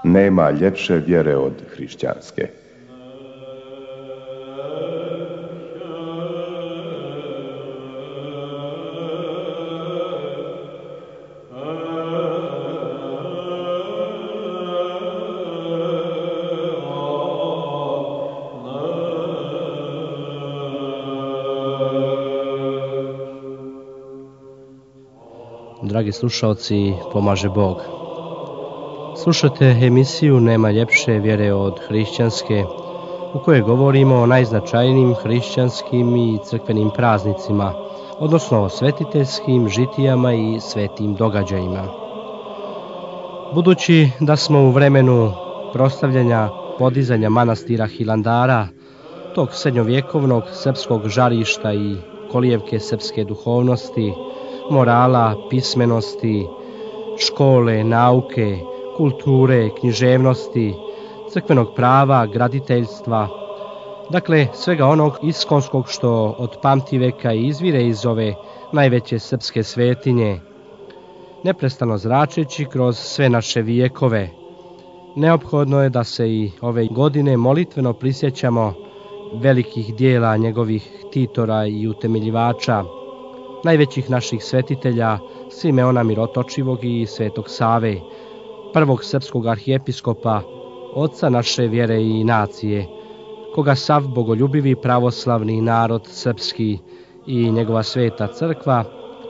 Nema ljepše vjere od hrišćanske. Dragi slušalci, pomaže Bog. Slušate emisiju Nema ljepše vjere od hrišćanske, u kojoj govorimo o najznačajnijim hrišćanskim i crkvenim praznicima, odnosno o svetiteljskim žitijama i svetim događajima. Budući da smo u vremenu proslavljanja podizanja manastira Hilandara, tog srednjovjekovnog srpskog žarišta i kolijevke srpske duhovnosti, morala, pismenosti, škole, nauke, kulture, književnosti, crkvenog prava, graditeljstva, dakle svega onog iskonskog što od pamtiveka izvire iz ove najveće srpske svetinje, neprestano zračeći kroz sve naše vijekove. Neophodno je da se i ove godine molitveno prisjećamo velikih dijela njegovih ktitora i utemeljivača, najvećih naših svetitelja Simeona Mirotočivog i Svetog Save, prvog srpskog arhijepiskopa, oca naše vjere i nacije, koga sav bogoljubivi pravoslavni narod srpski i njegova sveta crkva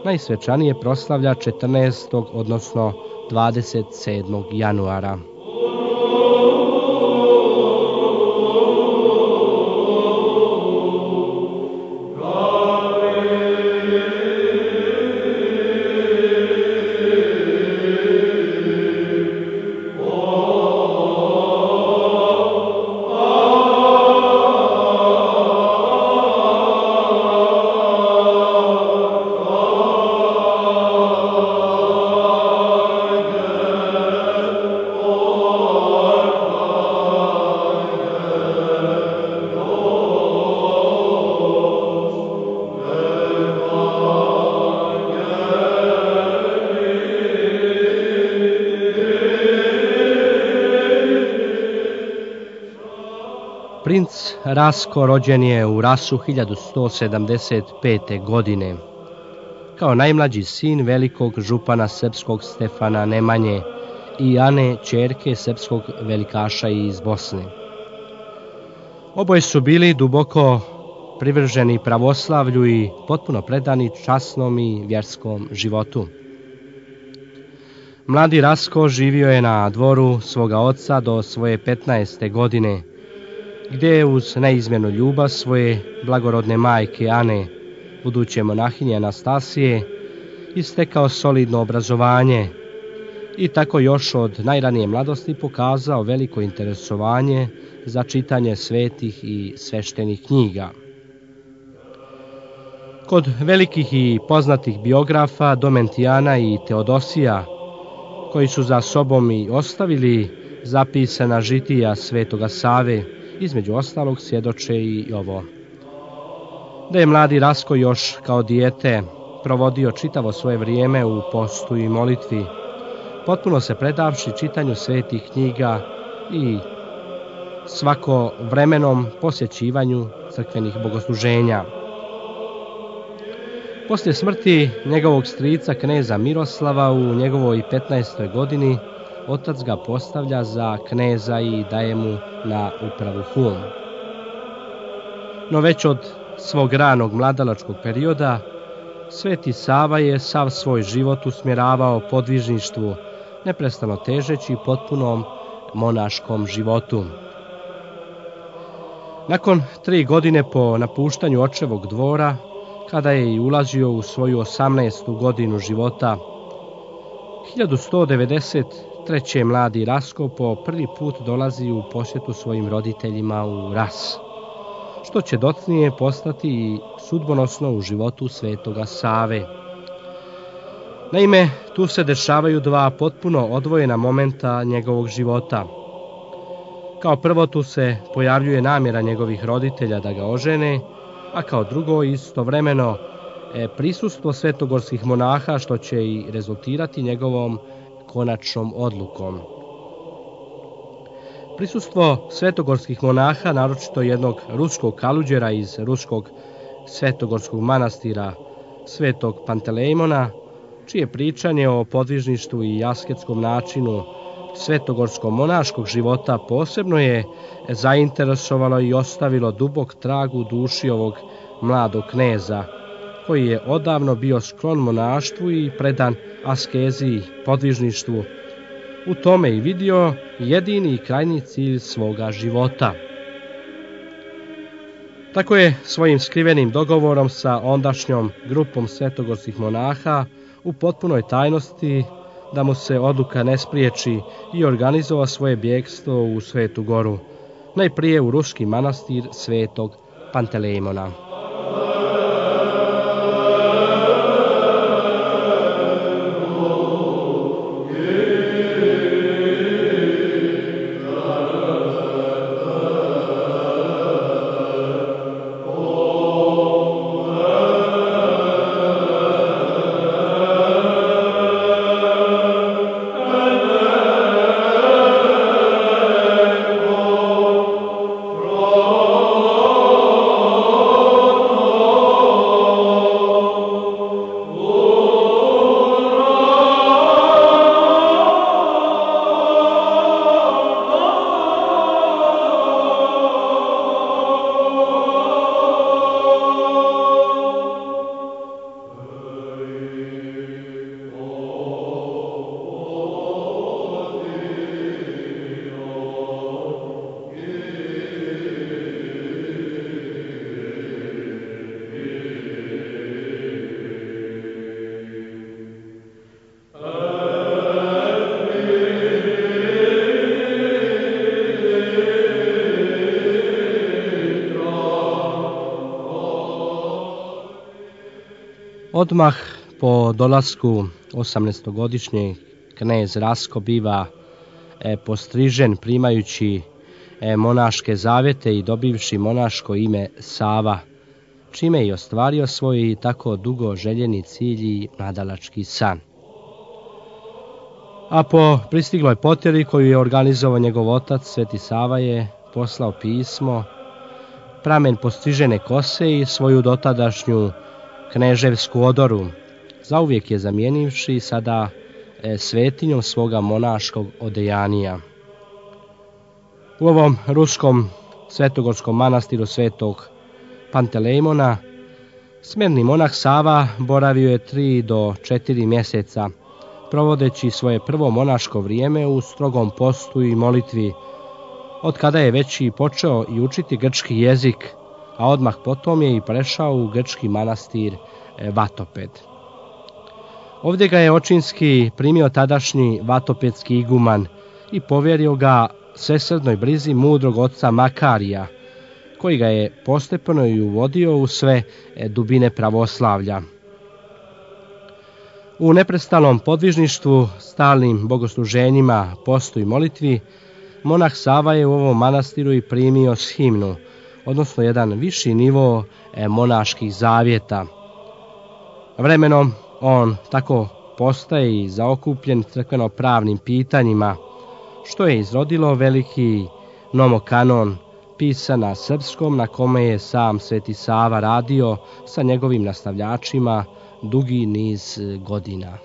najsvečanije proslavlja 14. odnosno 27. januara. Princ Rasko rođen je u Rasu 1175. godine. Kao najmlađi sin velikog župana srpskog Stefana Nemanje i Ane, ćerke srpskog velikaša iz Bosne. Oboje su bili duboko privrženi pravoslavlju i potpuno predani časnom i vjerskom životu. Mladi Rasko živio je na dvoru svoga oca do svoje 15. godine, gdje je uz neizmjernu ljubav svoje blagorodne majke Ane, buduće monahinje Anastasije, istekao solidno obrazovanje i tako još od najranije mladosti pokazao veliko interesovanje za čitanje svetih i sveštenih knjiga. Kod velikih i poznatih biografa Domentijana i Teodosija, koji su za sobom i ostavili zapisana žitija Svetoga Save, između ostalog svjedoče i ovo: da je mladi Rasko još kao dijete provodio čitavo svoje vrijeme u postu i molitvi, potpuno se predavši čitanju svetih knjiga i svako vremenom posjećivanju crkvenih bogosluženja. Poslije smrti njegovog strica kneza Miroslava u njegovoj 15. godini otac ga postavlja za kneza i daje mu na upravu Hum. No već od svog ranog mladalačkog perioda Sveti Sava je sav svoj život usmjeravao podvižništvu, neprestano težeći potpunom monaškom životu. Nakon 3 godine po napuštanju očevog dvora, kada je i ulazio u svoju 18. godinu života, 1193. mladi Rasko po prvi put dolazi u posjetu svojim roditeljima u Ras, što će docnije postati i sudbonosno u životu Svetoga Save. Naime, tu se dešavaju dva potpuno odvojena momenta njegovog života. Kao prvo, tu se pojavljuje namjera njegovih roditelja da ga ožene, a kao drugo istovremeno prisustvo svetogorskih monaha, što će i rezultirati njegovom konačnom odlukom. Prisustvo svetogorskih monaha, naročito jednog ruskog kaluđera iz ruskog svetogorskog manastira Svetog Pantelejmona, čije pričanje o podvižništvu i asketskom načinu svetogorskog monaškog života posebno je zainteresovalo i ostavilo dubok trag u duši ovog mladog kneza, koji je odavno bio sklon monaštvu i predan askezi, podvižništvu, u tome i vidio jedini i krajnji cilj svoga života. Tako je svojim skrivenim dogovorom sa ondašnjom grupom svetogorskih monaha u potpunoj tajnosti, da mu se odluka ne spriječi, i organizovao svoje bjegstvo u Svetu Goru, najprije u ruski manastir Svetog Pantelejmona. Odmah po dolasku 18-godišnji knez Rasko biva postrižen, primajući monaške zavjete i dobivši monaško ime Sava, čime je ostvario svoj tako dugo željeni cilj i nadalački san. A po pristigloj potjeri koju je organizovao njegov otac, Sveti Sava je poslao pismo, pramen postrižene kose i svoju dotadašnju kneževsku odoru, zauvijek je zamijenivši sada svetinjom svoga monaškog odejanija. U ovom ruskom svetogorskom manastiru Svetog Pantelejmona smerni monah Sava boravio je 3 do 4 mjeseca, provodeći svoje prvo monaško vrijeme u strogom postu i molitvi, od kada je već i počeo i učiti grčki jezik, a odmah potom je i prešao u grčki manastir Vatoped. Ovdje ga je očinski primio tadašnji vatopedski iguman i povjerio ga svesrdnoj brizi mudrog oca Makarija, koji ga je postepeno i uvodio u sve dubine pravoslavlja. U neprestalnom podvižništvu, stalnim bogosluženjima, postu i molitvi, monah Sava je u ovom manastiru i primio shimnu, odnosno jedan viši nivo monaških zavjeta. Vremenom on tako postaje i zaokupljen crkveno-pravnim pitanjima, što je izrodilo veliki nomokanon, pisan na srpskom, na kome je sam Sveti Sava radio sa njegovim nastavljačima dugi niz godina.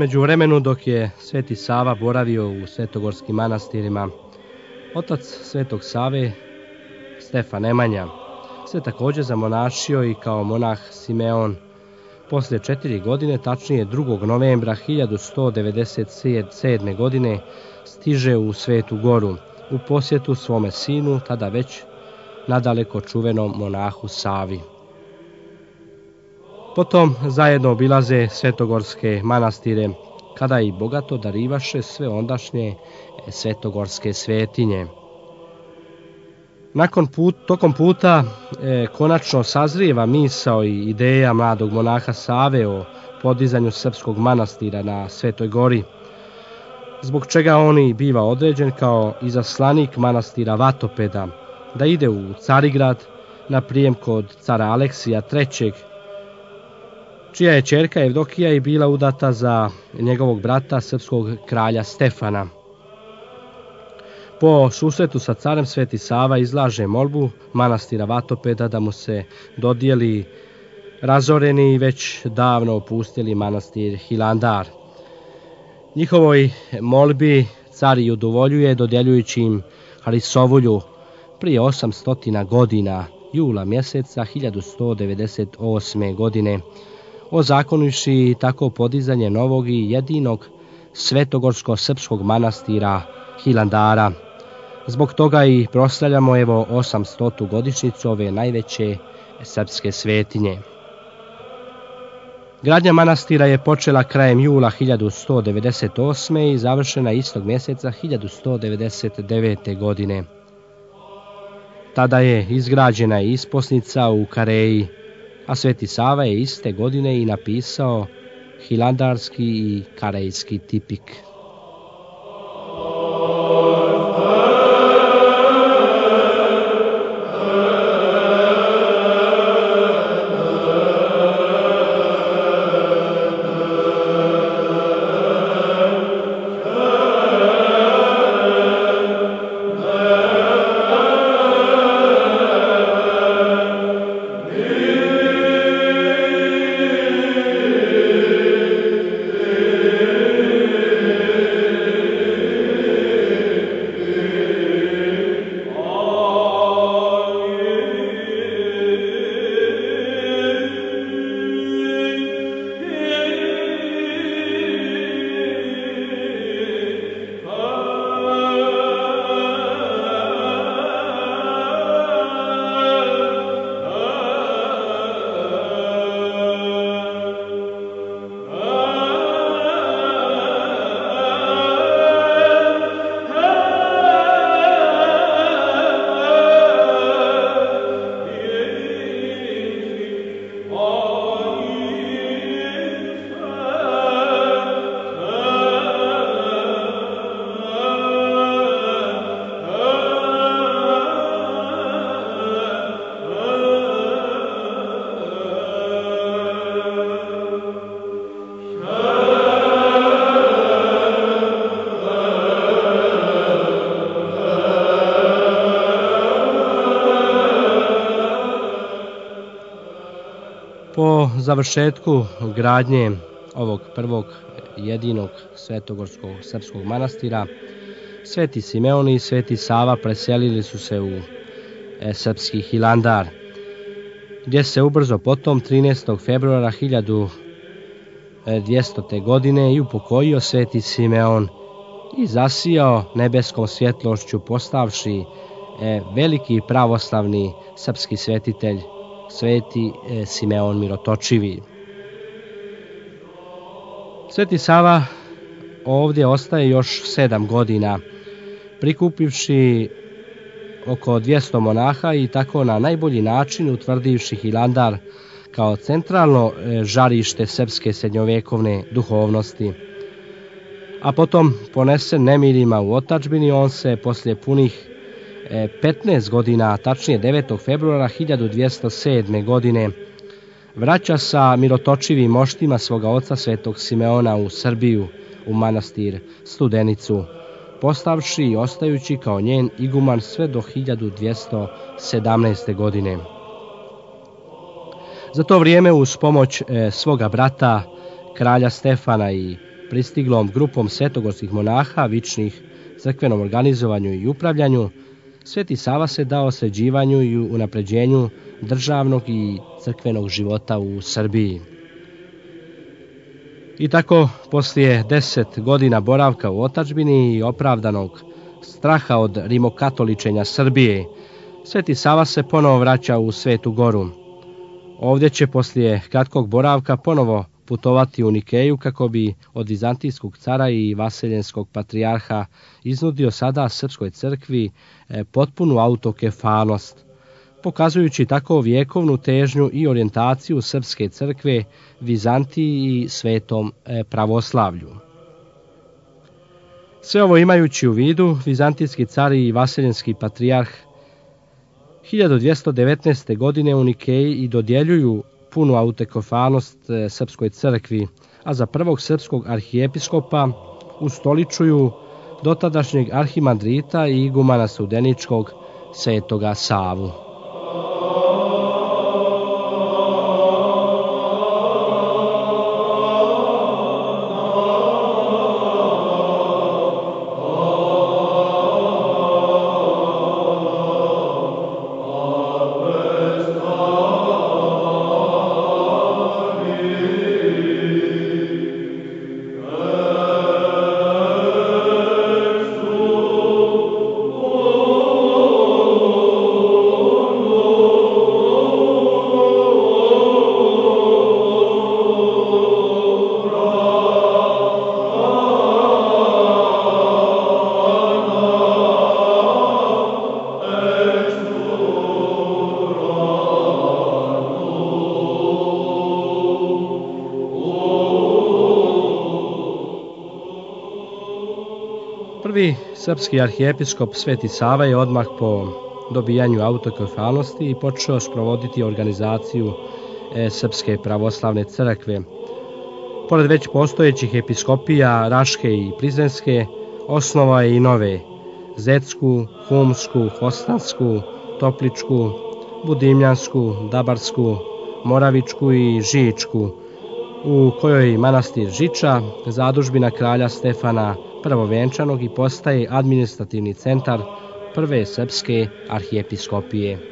međuvremenu dok je Sveti Sava boravio u svetogorskim manastirima, otac Svetog Save, Stefan Nemanja, se također zamonašio i kao monah Simeon. Poslije 4 godine, tačnije 2. novembra 1197. godine, stiže u Svetu Goru u posjetu svome sinu, tada već nadaleko čuvenom monahu Savi. Potom zajedno obilaze svetogorske manastire, kada i bogato darivaše sve ondašnje svetogorske svetinje. Tokom puta konačno sazrijeva misao i ideja mladog monaha Save o podizanju srpskog manastira na Svetoj Gori, zbog čega on i biva određen kao izaslanik manastira Vatopeda, da ide u Carigrad na prijem kod cara Aleksija III, čija je ćerka Evdokija i bila udata za njegovog brata srpskog kralja Stefana. Po susretu sa carem Sveti Sava izlaže molbu manastira Vatopeda da mu se dodijeli razoreni i već davno opustili manastir Hilandar. Njihovoj molbi car i udovoljuje dodjeljujući im Harisovulju prije 800 godina, jula mjeseca 1198. godine, ozakonivši tako podizanje novog i jedinog svetogorsko-srpskog manastira Hilandara. Zbog toga i proslavljamo 800. godišnjicu ove najveće srpske svetinje. Gradnja manastira je počela krajem jula 1198. i završena istog mjeseca 1199. godine. Tada je izgrađena i isposnica u Kareji, a Sveti Sava je iste godine i napisao hilandarski i karejski tipik. Po završetku gradnje ovog prvog jedinog svetogorskog srpskog manastira, Sveti Simeon i Sveti Sava preselili su se u srpski Hilandar, gdje se ubrzo potom 13. februara 1200. godine i upokojio Sveti Simeon i zasijao nebeskom svjetlošću postavši veliki pravoslavni srpski svetitelj Sveti Simeon Mirotočivi. Sveti Sava ovdje ostaje još 7 godina, prikupivši oko 200 monaha i tako na najbolji način utvrdivši Hilandar kao centralno žarište srpske srednjovjekovne duhovnosti. A potom, ponesen nemirima u otadžbini, on se poslije punih 15 godina, tačnije 9. februara 1207. godine, vraća sa mirotočivim moštima svoga oca Svetog Simeona u Srbiju, u manastir Studenicu, postavši i ostajući kao njen iguman sve do 1217. godine. Za to vrijeme uz pomoć svoga brata, kralja Stefana i pristiglom grupom svetogorskih monaha vičnih crkvenom organizovanju i upravljanju, Sveti Sava se dao sređivanju i unapređenju državnog i crkvenog života u Srbiji. I tako, poslije 10 godina boravka u otadžbini i opravdanog straha od rimokatoličenja Srbije, Sveti Sava se ponovo vraća u Svetu Goru. Ovdje će poslije kratkog boravka ponovo putovati u Nikeju kako bi od vizantijskog cara i vaseljenskog patrijarha iznudio sada srpskoj crkvi potpunu autokefalnost, pokazujući tako vjekovnu težnju i orijentaciju srpske crkve Vizantiji i svetom pravoslavlju. Sve ovo imajući u vidu, vizantijski car i vaseljenski patrijarh 1219. godine u Nikeji i dodjeljuju punu autokefalnost srpskoj crkvi, a za prvog srpskog arhijepiskopa ustoličuju dotadašnjeg arhimandrita i igumana Studeničkog Svetoga Savu. Prvi srpski arhijepiskop Sveti Sava je odmah po dobijanju autokefalnosti i počeo sprovoditi organizaciju Srpske pravoslavne crkve. Pored već postojećih episkopija Raške i Prizrenske, osnovao je i nove: Zetsku, Humsku, Hostansku, Topličku, Budimljansku, Dabarsku, Moravičku i Žičku, u kojoj manastir Žiča, zadužbina kralja Stefana Prvovenčanog i postaje administrativni centar prve srpske arhijepiskopije.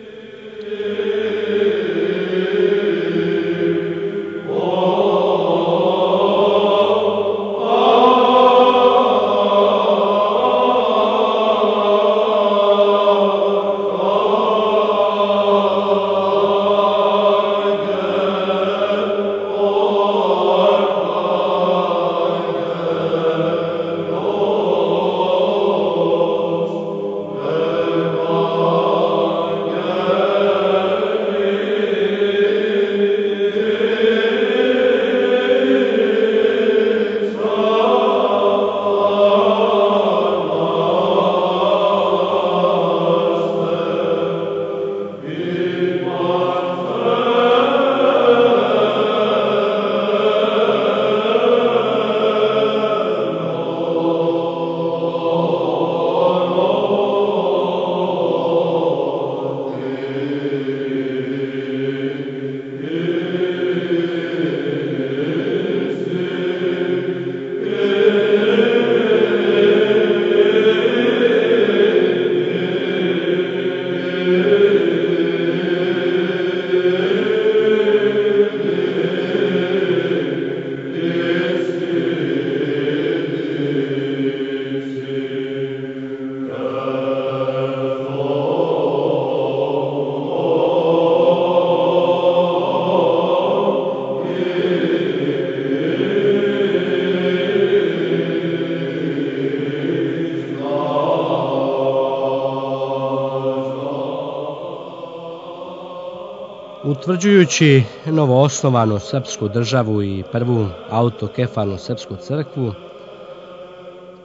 Utvrđujući novoosnovanu srpsku državu i prvu autokefalnu srpsku crkvu,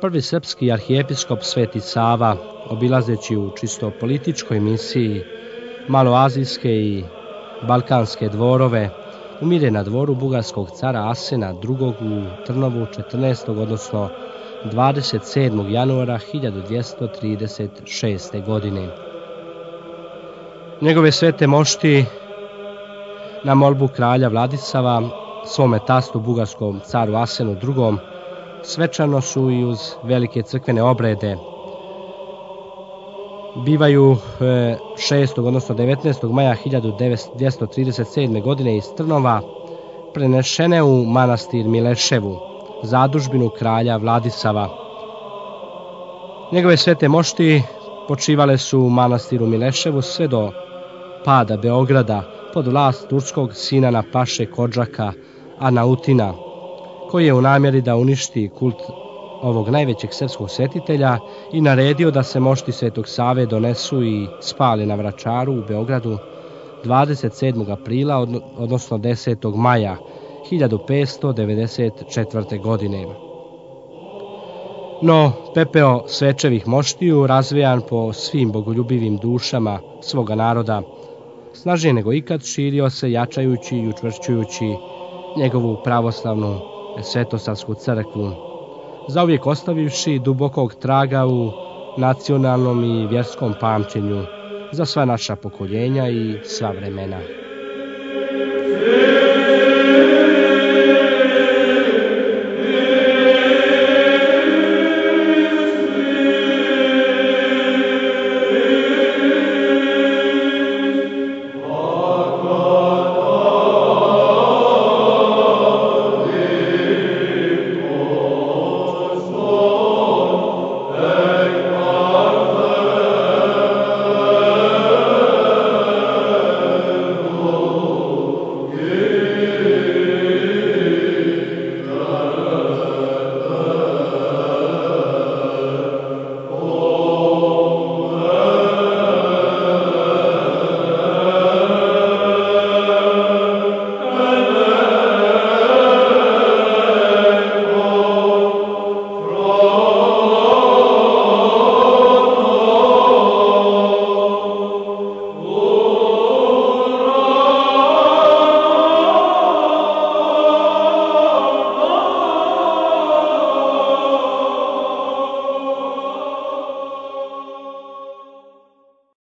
prvi srpski arhijepiskop Sveti Sava, obilazeći u čisto političkoj misiji maloazijske i balkanske dvorove, umire na dvoru bugarskog cara Asena II. U Trnovu 14. odnosno 27. januara 1236. godine. Njegove svete mošti na molbu kralja Vladisava svome tastu bugarskom caru Asenu II. svečano su i uz velike crkvene obrede. Bivaju 6. odnosno 19. maja 1237. godine iz Trnova prenešene u manastir Mileševu, zadužbinu kralja Vladisava. Njegove svete mošti počivale su u manastiru Mileševu sve do pada Beograda pod vlast turskog Sinana Paše Kodžaka Anautina, koji je u namjeri da uništi kult ovog najvećeg srpskog svetitelja i naredio da se mošti Svetog Save donesu i spale na Vračaru u Beogradu 27. aprila, odnosno 10. maja 1594. godine. No, pepeo svečevih moštiju, razvejan po svim bogoljubivim dušama svoga naroda, snažnije nego ikad širio se, jačajući i učvršćujući njegovu pravoslavnu svetosavsku crkvu, zauvijek ostavivši dubokog traga u nacionalnom i vjerskom pamćenju za sva naša pokoljenja i sva vremena.